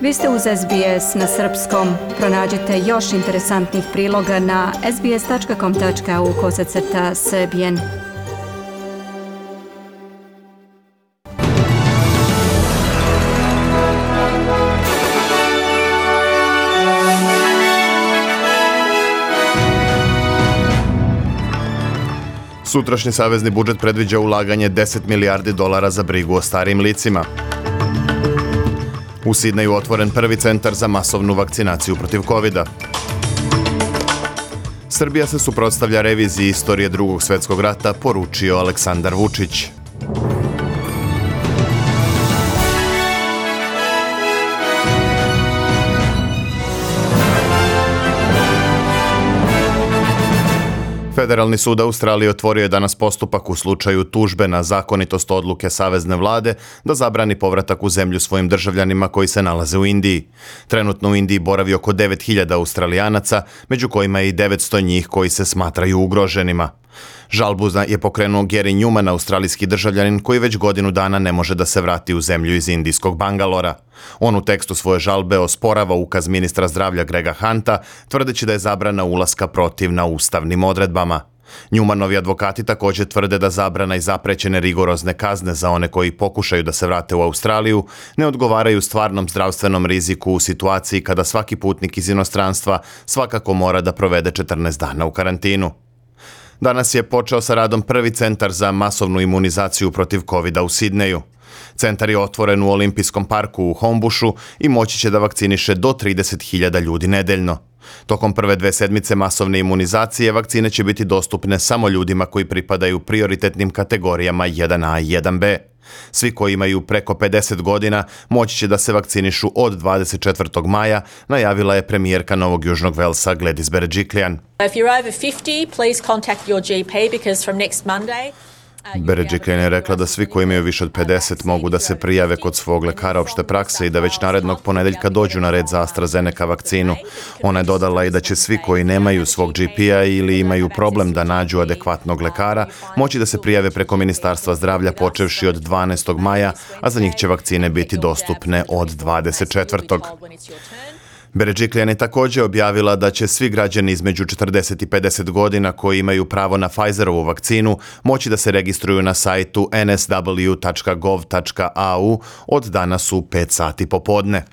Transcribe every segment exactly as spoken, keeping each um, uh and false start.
Vi ste uz S B S na srpskom. Pronađite još interesantnih priloga na sbs.com tačka au kosacrta srbijen. Sutrašnji savezni budžet predviđa ulaganje deset milijardi dolara za brigu o starijim licima. U Sidneju otvoren prvi centar za masovnu vakcinaciju protiv kovida. Srbija se suprotstavlja reviziji istorije Drugog svjetskog rata, poručio Aleksandar Vučić. Federalni sud Australije otvorio je danas postupak u slučaju tužbe na zakonitost odluke savezne vlade da zabrani povratak u zemlju svojim državljanima koji se nalaze u Indiji. Trenutno u Indiji boravi oko devet hiljada Australijanaca, među kojima je i devetsto njih koji se smatraju ugroženima. Žalbu je pokrenuo Gary Newman, australijski državljanin koji već godinu dana ne može da se vrati u zemlju iz indijskog Bangalora. On u tekstu svoje žalbe osporava ukaz ministra zdravlja Grega Hunta, tvrdeći da je zabrana ulaska protivna ustavnim odredbama. Newmanovi advokati također tvrde da zabrana i zaprećene rigorozne kazne za one koji pokušaju da se vrate u Australiju ne odgovaraju stvarnom zdravstvenom riziku u situaciji kada svaki putnik iz inostranstva svakako mora da provede četrnaest dana u karantinu. Danas je počeo sa radom prvi centar za masovnu imunizaciju protiv kovida u Sidneju. Centar je otvoren u Olimpijskom parku u Homebushu i moći će da vakciniše do trideset hiljada ljudi nedeljno. Tokom prve dve sedmice masovne imunizacije vakcine će biti dostupne samo ljudima koji pripadaju prioritetnim kategorijama jedan A i jedan B. Svi koji imaju preko pedeset godina moći će da se vakcinišu od dvadeset četvrtog maja, najavila je premijerka Novog Južnog Velsa Gladys Berejiklian. If you're over fifty, please contact your G P because from next Monday Berejiklian je rekla da svi koji imaju više od pedeset mogu da se prijave kod svog lekara opšte prakse i da već narednog ponedeljka dođu na red za AstraZeneca vakcinu. Ona je dodala i da će svi koji nemaju svog G P-a ili imaju problem da nađu adekvatnog lekara moći da se prijave preko Ministarstva zdravlja počevši od dvanaestog maja, a za njih će vakcine biti dostupne od dvadeset četvrtog Berejiklian je također objavila da će svi građani između četrdeset i pedeset godina koji imaju pravo na Pfizerovu vakcinu moći da se registruju na sajtu en es dablju tačka gov tačka a u od danas u pet sati popodne.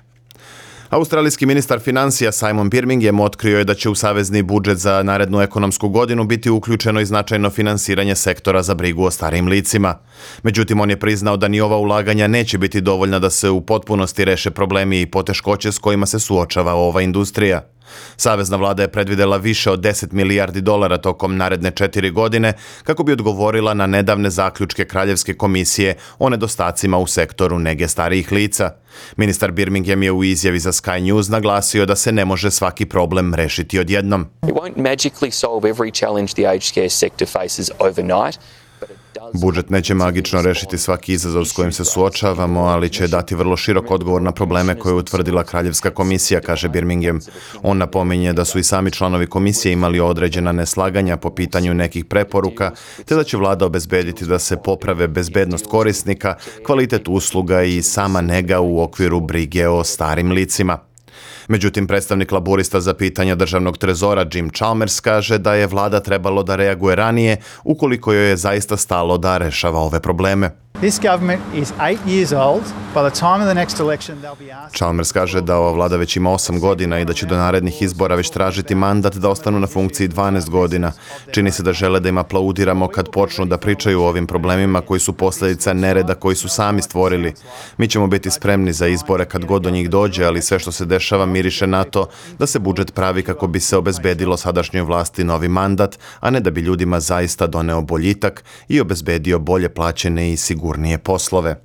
Australijski ministar financija Simon Birmingham otkrio je da će u savezni budžet za narednu ekonomsku godinu biti uključeno i značajno finansiranje sektora za brigu o starijim licima. Međutim, on je priznao da ni ova ulaganja neće biti dovoljna da se u potpunosti reše problemi i poteškoće s kojima se suočava ova industrija. Savezna vlada je predvidela više od deset milijardi dolara tokom naredne četiri godine kako bi odgovorila na nedavne zaključke Kraljevske komisije o nedostacima u sektoru nege starijih lica. Ministar Birmingham je u izjavi za Sky News naglasio da se ne može svaki problem rešiti odjednom. It won't magically solve every challenge the aged care sector faces overnight. Budžet neće magično rešiti svaki izazov s kojim se suočavamo, ali će dati vrlo širok odgovor na probleme koje je utvrdila Kraljevska komisija, kaže Birmingham. On napominje da su i sami članovi komisije imali određena neslaganja po pitanju nekih preporuka, te da će vlada obezbediti da se poprave bezbednost korisnika, kvalitet usluga i sama nega u okviru brige o starim licima. Međutim, predstavnik laburista za pitanja državnog trezora Jim Chalmers kaže da je vlada trebalo da reaguje ranije ukoliko joj je zaista stalo da rešava ove probleme. This government is eight years old. By the time of the next election they'll be asked. Chalmers kaže da ova vlada već ima osam godina i da će do narednih izbora već tražiti mandat da ostanu na funkciji dvanaest godina. Čini se da žele da im aplaudiramo kad počnu da pričaju o ovim problemima koji su posljedica nereda koji su sami stvorili. Mi ćemo biti spremni za izbore kad god do njih dođe, ali sve što se dešava miriše na to da se budžet pravi kako bi se obezbedilo sadašnjoj vlasti novi mandat, a ne da bi ljudima zaista doneo boljitak i obezbedio bolje plaćene i sigurnije poslove.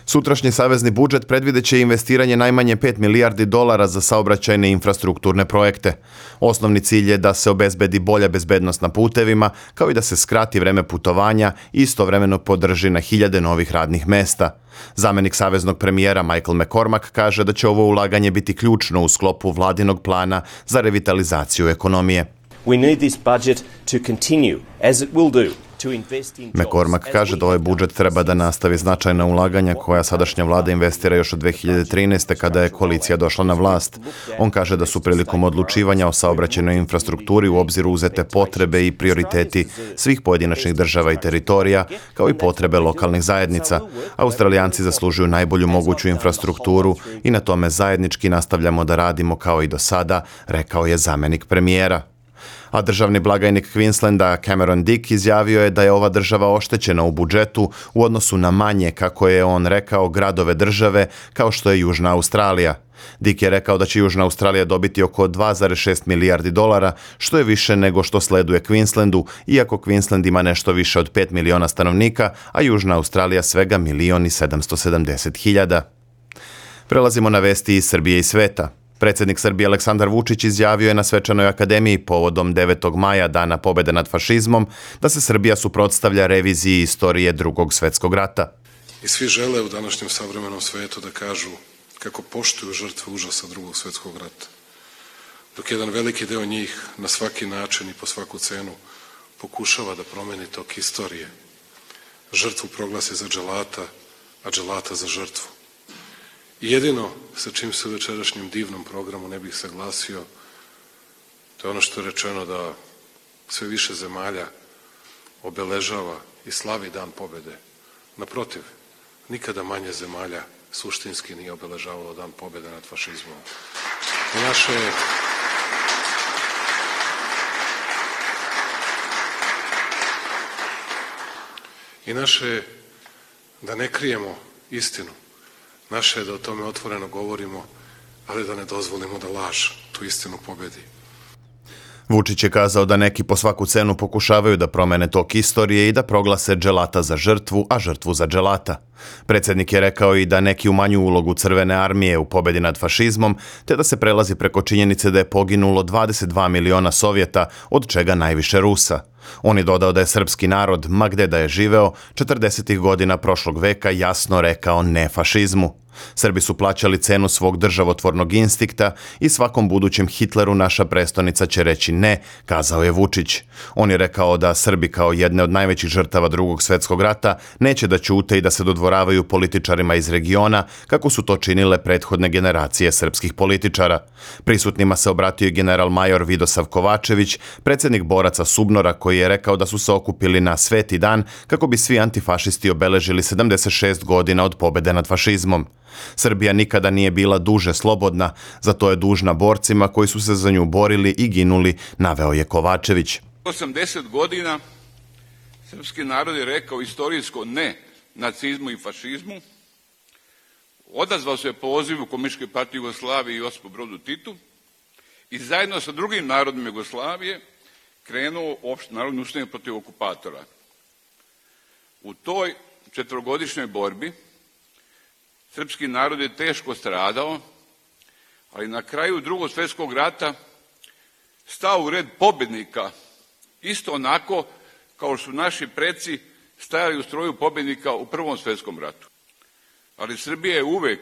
Sutrašnji savezni budžet predvideće investiranje najmanje pet milijardi dolara za saobraćajne infrastrukturne projekte. Osnovni cilj je da se obezbedi bolja bezbednost na putevima, kao i da se skrati vreme putovanja i istovremeno podrži na hiljade novih radnih mesta. Zamenik saveznog premijera Michael McCormack kaže da će ovo ulaganje biti ključno u sklopu vladinog plana za revitalizaciju ekonomije. We need this budget to continue, as it will do, McCormack kaže da ovaj budžet treba da nastavi značajna ulaganja koja sadašnja vlada investira još od dve hiljade trinaeste. kada je koalicija došla na vlast. On kaže da su prilikom odlučivanja o saobraćajnoj infrastrukturi u obzir uzete potrebe i prioriteti svih pojedinačnih država i teritorija, kao i potrebe lokalnih zajednica. Australijanci zaslužuju najbolju moguću infrastrukturu i na tome zajednički nastavljamo da radimo kao i do sada, rekao je zamenik premijera. A državni blagajnik Queenslanda Cameron Dick izjavio je da je ova država oštećena u budžetu u odnosu na manje, kako je on rekao, gradove države kao što je Južna Australija. Dick je rekao da će Južna Australija dobiti oko dva zarez šest milijardi dolara, što je više nego što sleduje Queenslandu, iako Queensland ima nešto više od pet miliona stanovnika, a Južna Australija svega milion i sedamsto sedamdeset hiljada. Prelazimo na vesti iz Srbije i sveta. Predsjednik Srbije Aleksandar Vučić izjavio je na Svečanoj akademiji povodom devetog maja, Dana pobjede nad fašizmom, da se Srbija suprotstavlja reviziji istorije Drugog svjetskog rata. I svi žele u današnjem savremenom svetu da kažu kako poštuju žrtve užasa Drugog svjetskog rata, dok jedan veliki deo njih na svaki način i po svaku cenu pokušava da promeni tok istorije. Žrtvu proglasi za dželata, a dželata za žrtvu. I jedino sa čim se u večerašnjem divnom programu ne bih saglasio, to je ono što je rečeno da sve više zemalja obeležava i slavi Dan pobjede. Naprotiv, nikada manje zemalja suštinski nije obeležavalo Dan pobjede nad fašizmom. I naše I naše da ne krijemo istinu. Naše je da o tome otvoreno govorimo, ali da ne dozvolimo da laž tu istinu pobedi. Vučić je kazao da neki po svaku cenu pokušavaju da promene tok istorije i da proglase dželata za žrtvu, a žrtvu za dželata. Predsjednik je rekao i da neki umanju ulogu Crvene armije u pobjedi nad fašizmom, te da se prelazi preko činjenice da je poginulo dvadeset dva miliona Sovjeta, od čega najviše Rusa. On je dodao da je srpski narod, ma gde da je živeo, četrdesetih godina prošlog veka jasno rekao ne fašizmu. Srbi su plaćali cenu svog državotvornog instinkta i svakom budućem Hitleru naša prestonica će reći ne, kazao je Vučić. On je rekao da Srbi kao jedne od najvećih žrtava Drugog svjetskog rata neće da ćute i da se dodvoravaju političarima iz regiona, kako su to činile prethodne generacije srpskih političara. Prisutnima se obratio i general major Vidosav Kovačević, predsjednik boraca Subnora, koji je rekao da su se okupili na Sveti dan kako bi svi antifašisti obeležili sedamdeset šest godina od pobjede nad fašizmom. Srbija nikada nije bila duže slobodna, zato je dužna borcima koji su se za nju borili i ginuli, naveo je Kovačević. osamdeset godina srpski narod je rekao istorijsko ne nacizmu i fašizmu, odazvao se pozivu Komunističke partije Jugoslavije i Josipu Brozu Titu i zajedno sa drugim narodima Jugoslavije krenuo opštenarodni ustanak protiv okupatora. U toj četvorogodišnjoj borbi srpski narod je teško stradao, ali na kraju Drugog svjetskog rata stao u red pobjednika, isto onako kao su naši preci stajali u stroju pobjednika u Prvom svjetskom ratu. Ali Srbija je uvek,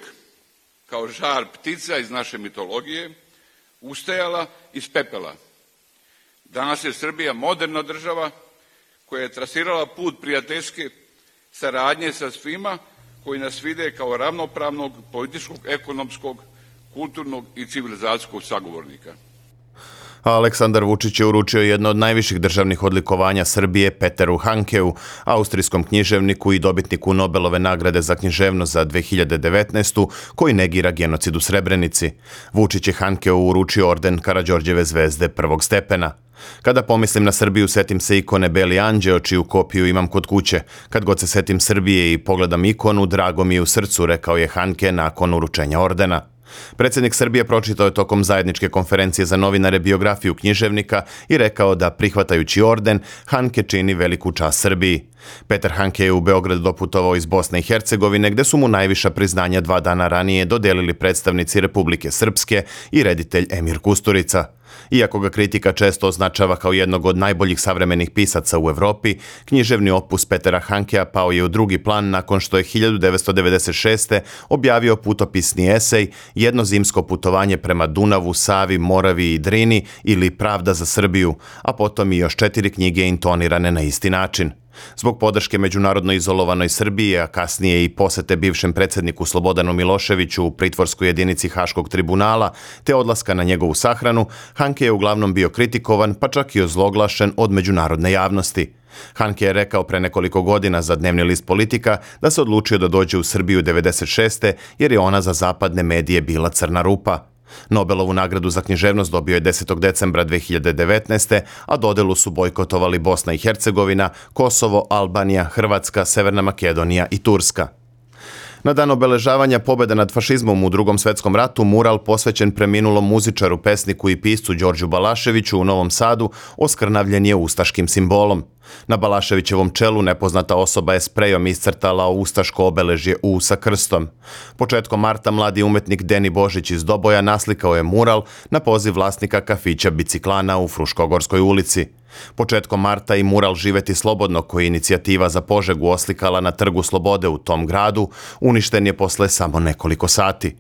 kao žar ptica iz naše mitologije, ustajala iz pepela. Danas je Srbija moderna država koja je trasirala put prijateljske saradnje sa svima koji nas vide kao ravnopravnog političkog, ekonomskog, kulturnog i civilizacijskog sagovornika. Aleksandar Vučić je uručio jedno od najviših državnih odlikovanja Srbije Peteru Hankeu, austrijskom književniku i dobitniku Nobelove nagrade za književnost za dve hiljade devetnaestu. koji negira genocid u Srebrenici. Vučić je Hankeu uručio orden Karađorđeve zvezde prvog stepena. Kada pomislim na Srbiju, setim se ikone Beli anđeo, čiju kopiju imam kod kuće. Kad god se setim Srbije i pogledam ikonu, drago mi je u srcu, rekao je Hanke nakon uručenja ordena. Predsjednik Srbije pročitao je tokom zajedničke konferencije za novinare biografiju književnika i rekao da, prihvatajući orden, Hanke čini veliku čast Srbiji. Petar Hanke je u Beograd doputovao iz Bosne i Hercegovine, gde su mu najviša priznanja dva dana ranije dodelili predstavnici Republike Srpske i reditelj Emir Kusturica. Iako ga kritika često označava kao jednog od najboljih savremenih pisaca u Evropi, književni opus Petera Hankea pao je u drugi plan nakon što je hiljadu devetsto devedeset šeste. objavio putopisni esej Jedno zimsko putovanje prema Dunavu, Savi, Moravi i Drini ili Pravda za Srbiju, a potom i još četiri knjige intonirane na isti način. Zbog podrške međunarodno izolovanoj Srbiji, a kasnije i posete bivšem predsjedniku Slobodanu Miloševiću u pritvorskoj jedinici Haškog tribunala, te odlaska na njegovu sahranu, Hanke je uglavnom bio kritikovan, pa čak i ozloglašen od međunarodne javnosti. Hanke je rekao pre nekoliko godina za dnevni list Politika da se odlučio da dođe u Srbiju devedeset šeste jer je ona za zapadne medije bila crna rupa. Nobelovu nagradu za književnost dobio je desetog decembra dve hiljade devetnaeste. a dodelu su bojkotovali Bosna i Hercegovina, Kosovo, Albanija, Hrvatska, Severna Makedonija i Turska. Na dan obeležavanja pobjede nad fašizmom u Drugom svjetskom ratu mural posvećen preminulom muzičaru, pesniku i piscu Đorđu Balaševiću u Novom Sadu oskrnavljen je ustaškim simbolom. Na Balaševićevom čelu nepoznata osoba je sprejom iscrtala ustaško obeležje U sa krstom. Početkom marta mladi umetnik Deni Božić iz Doboja naslikao je mural na poziv vlasnika kafića Biciklana u Fruškogorskoj ulici. Početkom marta i mural Živeti slobodno, koji je inicijativa za Požegu oslikala na Trgu Slobode u tom gradu, uništen je posle samo nekoliko sati.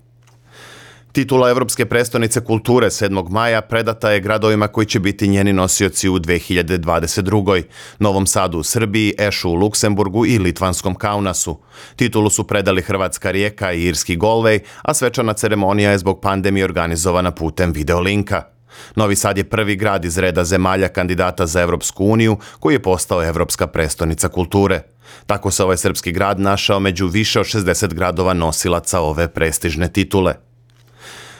Titula Evropske prestonice kulture sedmog maja predata je gradovima koji će biti njeni nosioci u dve hiljade dvadeset drugoj. Novom Sadu u Srbiji, Ešu u Luksemburgu i Litvanskom Kaunasu. Titulu su predali Hrvatska Rijeka i Irski Galway, a svečana ceremonija je zbog pandemije organizovana putem videolinka. Novi Sad je prvi grad iz reda zemalja kandidata za Evropsku uniju koji je postao Evropska prestonica kulture. Tako se ovaj srpski grad našao među više od šezdeset gradova nosilaca ove prestižne titule.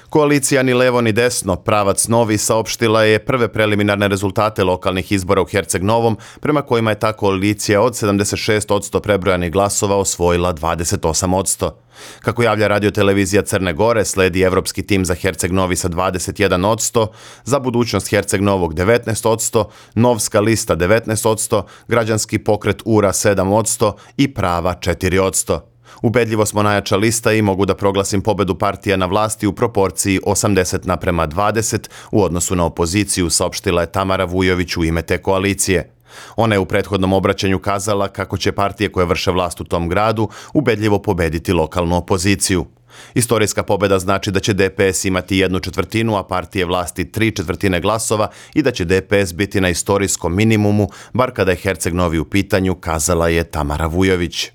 Koalicija Ni levo ni desno, Pravac novi, saopštila je prve preliminarne rezultate lokalnih izbora u Herceg Novom, prema kojima je ta koalicija od sedamdeset šest posto prebrojanih glasova osvojila dvadeset osam posto. Kako javlja radiotelevizija Crne Gore, sledi evropski tim za Herceg Novi sa dvadeset jedan posto, za budućnost Herceg Novog devetnaest posto, Novska lista devetnaest posto, građanski pokret Ura sedam posto i Prava četiri posto. Ubedljivo smo najjača lista i mogu da proglasim pobedu partija na vlasti u proporciji osamdeset naprema dvadeset u odnosu na opoziciju, saopštila je Tamara Vujović u ime te koalicije. Ona je u prethodnom obraćanju kazala kako će partije koje vrše vlast u tom gradu ubedljivo pobediti lokalnu opoziciju. Istorijska pobeda znači da će D P S imati jednu četvrtinu, a partije vlasti tri četvrtine glasova i da će D P S biti na istorijskom minimumu, bar kada je Herceg Novi u pitanju, kazala je Tamara Vujović.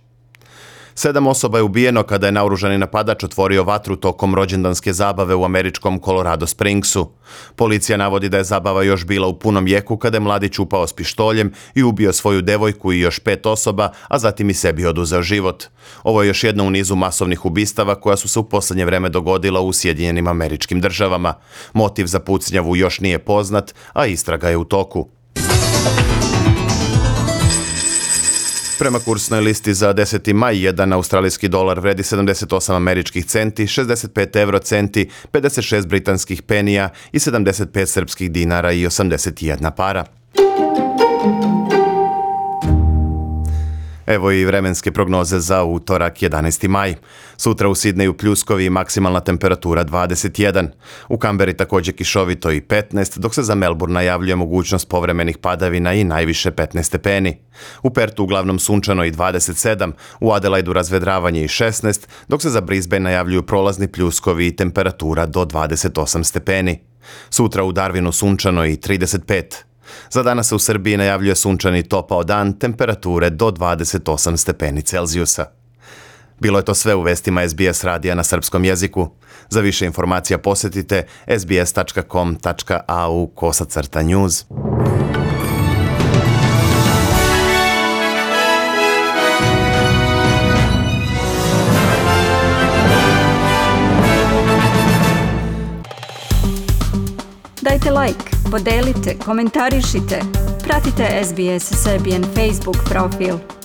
Sedam osoba je ubijeno kada je naoružani napadač otvorio vatru tokom rođendanske zabave u američkom Colorado Springsu. Policija navodi da je zabava još bila u punom jeku kada je mladić upao s pištoljem i ubio svoju devojku i još pet osoba, a zatim i sebi oduzeo život. Ovo je još jedno u nizu masovnih ubistava koja su se u posljednje vreme dogodila u Sjedinjenim Američkim Državama. Motiv za pucnjavu još nije poznat, a istraga je u toku. Prema kursnoj listi za deseti maj, jedan australijski dolar vredi sedamdeset osam američkih centi, šezdeset pet evro centi, pedeset šest britanskih penija i sedamdeset pet srpskih dinara i osamdeset jedna para. Evo i vremenske prognoze za utorak jedanaesti maj. Sutra u Sidneju pljuskovi i maksimalna temperatura dvadeset jedan. U Kamberi također kišovito i petnaest, dok se za Melbourne najavljuje mogućnost povremenih padavina i najviše petnaest stepeni. U Pertu uglavnom sunčano i dvadeset sedam, u Adelaidu razvedravanje i šesnaest, dok se za Brisbane najavljuju prolazni pljuskovi i temperatura do dvadeset osam stepeni. Sutra u Darwinu sunčano i trideset pet. Za danas se u Srbiji najavljuje sunčani topao dan, temperature do dvadeset osam stepeni Celzijusa. Bilo je to sve u vestima S B S radija na srpskom jeziku. Za više informacija posjetite s b s tačka com tačka a u kosacrta news. Dajte like, podelite, komentarišite, pratite S B S Serbian Facebook profil.